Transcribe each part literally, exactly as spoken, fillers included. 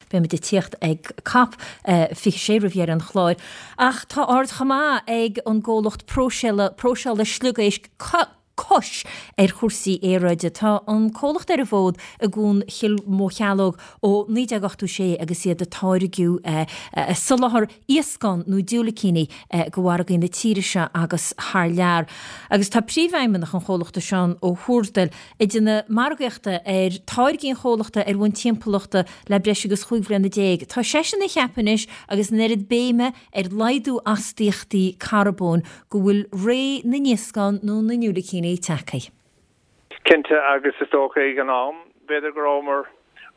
Beimid ag tíocht ag COP fiche sé roimh dheireadh an chláir. Ach tá aird chomh maith ag an gcomhlacht próiseála próiseála sliogéisc Cois ar chúrsaí aeráide. Tá an comhlacht ar an bhfód i gCuan Chill Mocheallóg ó naoi déag ochtó sé agus iad ag táirgeadh soláthar iascán nó diúilicíní go mhargaí na tíre seo agus thar lear. Agus tá príomhfheidhmeannach an chomhlachta Seán Ó hÚrdail ag déanamh margaíochta ar táirgí an chomhlachta ar bhonn timpeallachta le breis agus chúig bhliana déag. Tá seisean ag ceapadh anois agus an oiread béime ar laghdú astaíochtaí carbóin go bhfuil ré na n-iascán nó na ndiúilicíní tagtha. Cinnte agus is dócha ag an am, b'fhéidir go rabhamar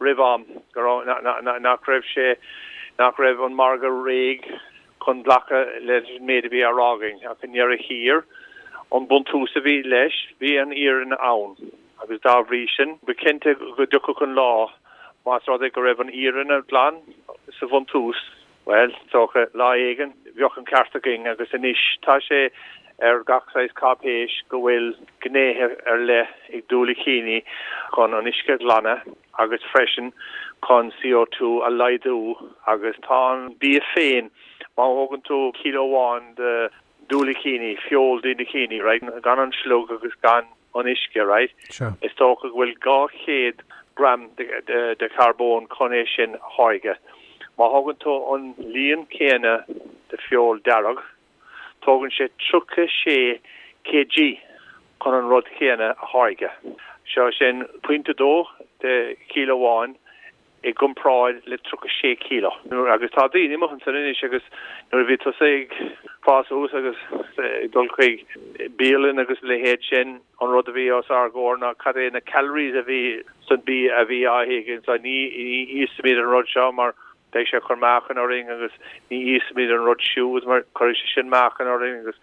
roimh am, go raibh nach raibh sé nach raibh an margadh réidh chun glacadh leis an méid a bhí á rá againn ach i ndeireadh thiar an buntús a bhí leis, bhí an fhírinne ann agus dá bhrí sin ba chinnte go dtiocfadh an lá más rud é go raibh an fhírinne glan sa bhuntús, bhuel, is dócha lá éigin bheadh an ceart againn agus anois tá sé ar gach saghas cáipéis go bhfuil gnéithe ar leith ag diúilicíní chun an uisce a ghlanadh agus freisin chun CO two a laghdú agus tá an bia féin, má thógann tú kilo amháin de diúilicíní, feoil diúilicíní, right, gan an sliog agus gan an uisce, right, is dócha go bhfuil dhá chéad gram de, de, de charbón chun é sin a tháirgeadh. Má thógann tú an líon céanna de feoil dearg, tógann sé tríocha sé kg chun an rud céanna a tháirgeadh. Seo sin pointe dó de kilo amháin i gcomparáid le tríocha sé kilo. Agus tá daoine amuigh ansan anois agus nuair a bhí tusa ag fás suas agus ag dul chuig bialann agus a leithéid sin, an rud a bhí os ár gcomhair ná cad é na calories a bhí san bia a bhí á ithe againn. So ní íosfaimid an rud seo mar beidh sé ag cur meáchan orainn agus ní íosfaimid an rud siúd mar cuirfidh sé sin meáchan orainn agus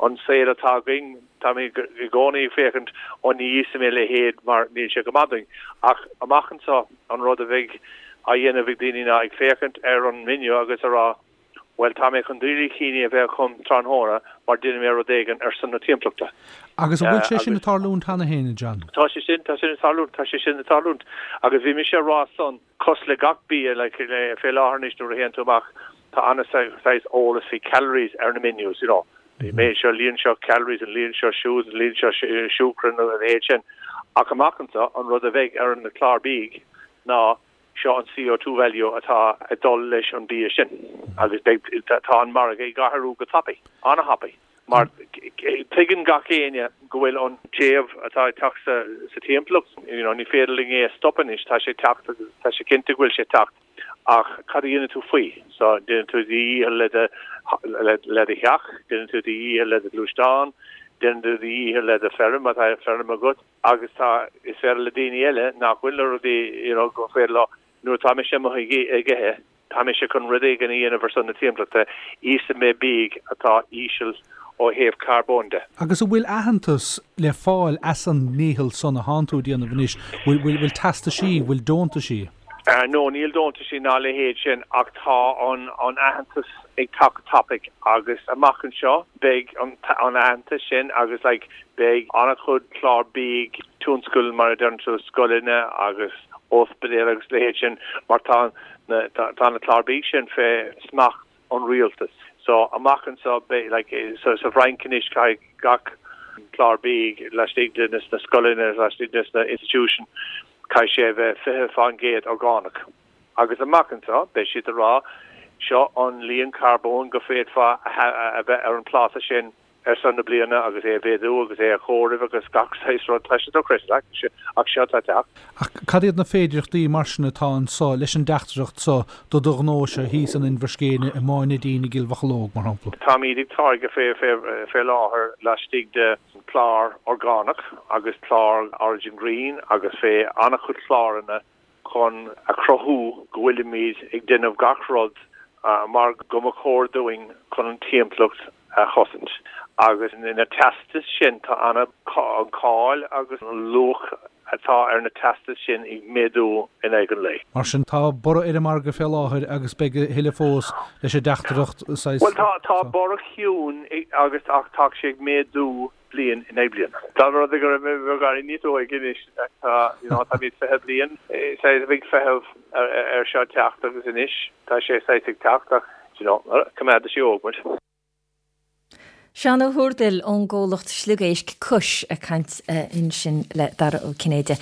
an saol atá againn, táimid i gcónaí ag féachaint ó ní íosfaidh mé a leithéid mar níl sé go maith dúinn. Ach amach anseo an rud a bheidh á dhéanamh ag daoine ná ag féachaint ar an menu agus a rá bhuel tá mé chun diúilicíní a bheith agam tráthnóna mar déanfaidh mé rud éigin ar son na timpeallachta. Agus an bhfuil sé sin ag tarlúint cheana féin, a John? Tá sé sin, tá sin ag tarlúint, tá sé sin ag tarlúint. Agus bhí mise ag rá san, cosúil le gach bia, like, le, fé láthair anois nuair a théann tú amach, tá an-saghas eolas faoi calories ar na menus, you know. An méid seo, líon seo calories, an líon seo siúd, an líon seo siúcra nó a leithéid sin. Ach amach anseo, an rud a bheidh ar an chlár bídh ná seo an CO two value atá ag dul leis an bia sin. Agus beidh, tá an margadh ag athrú go tapaidh, an-thapaidh. Mar tuigeann gach éinne go bhfuil an téamh atá ag teacht sa, sa timpeallacht, you know, ní féidir linn é a stop anois, tá sé ag teacht agus tá sé cinnte go bhfuil sé ag teacht. Ach cad a dhéanann tú faoi? So déanann tú do dhícheall le do, le, le do theach, déanann tú do dhícheall le do ghluaisteán, déanann tú do dhícheall le do feirm, má tá feirm agat, agus tá, is féidir le daoine eile nach bhfuil na rudaí, you know, go féidir leo, nuair atá mise amuigh ag, ag ithe, tá mise chun rud éigin a dhéanamh ar son na timpeallachta, íosfaidh mé bídh atá íseal ó thaobh carbóin de. Agus an bhfuil aitheantas le fáil as an ndícheall san atánn tú a dhéanamh anois? Bhfuil, bhfuil, bhfuil teastaisí, bhfuil deontaisí? No, níl deontaisí ná a leithéid sin ach tá an, an aitheantas ag teacht go tapaidh agus amach anseo beidh an, an aitheantas sin agus like beidh an-chuid clár bídh, tionscail mar a deireann tú, scoileanna agus ospidéil agus a leithéid sin mar tá na, tá, tá na clár bídh sin fé smacht an rialtas. So amach anseo beidh like so sa bhFrainc anois caithfidh gach clár bídh laistigh de na scoileanna, laistigh de na institution, caithfidh sé a bheith fiche faoin gcéad orgánach. Agus amach anseo beidh siad ag rá seo an líon carbóin go féadfá a bheith ar an pláta sin ar son na bliana agus é a mhéadú agus é a chomhaireamh agus gach saghas rud. Tá sé dochreidte, ach seo atá ag teacht. Ach cad iad na féidearthachtaí mar sin atá anso leis an dteachtaireacht so do do ghnóse thíos in Inbhir Scéine, i Maigh Neidín, i gCill Mhocheallóg, mar shampla? Táimid ag táirgeadh fé, fé, fé láthair laistigh de chlár orgánach agus clár Origin Green agus fé an-chuid cláranna chun a chruthú go bhfuilimid ag déanamh gach rud mar go mba chóir dúinn chun an timpeallacht a chosaint. Agus na teastais sin, tá an cáil agus an luach atá ar na teastais sin ag méadú in aghaidh an lae. Mar sin, tá borradh ar an margadh fé láthair agus beidh a thuilleadh fós leis an dteachtaireacht saghas. Bhuel, tá, tá borradh ciúin agus ach tá sé ag méadú bliain i ndiaidh bliana. Dá mba rud é go raibh mé beagáinín níos óige anois, tá, you know, táimid fiche bliain, saghas ag feitheamh ar seo teacht agus anois tá sé saghas ag teacht ach, you know, coimeádfaidh sé óg muid. Seán Ó hÚrdail ón gcomhlacht sliogéisc Cois ag caint ansin le Dara Ó Cinnéide.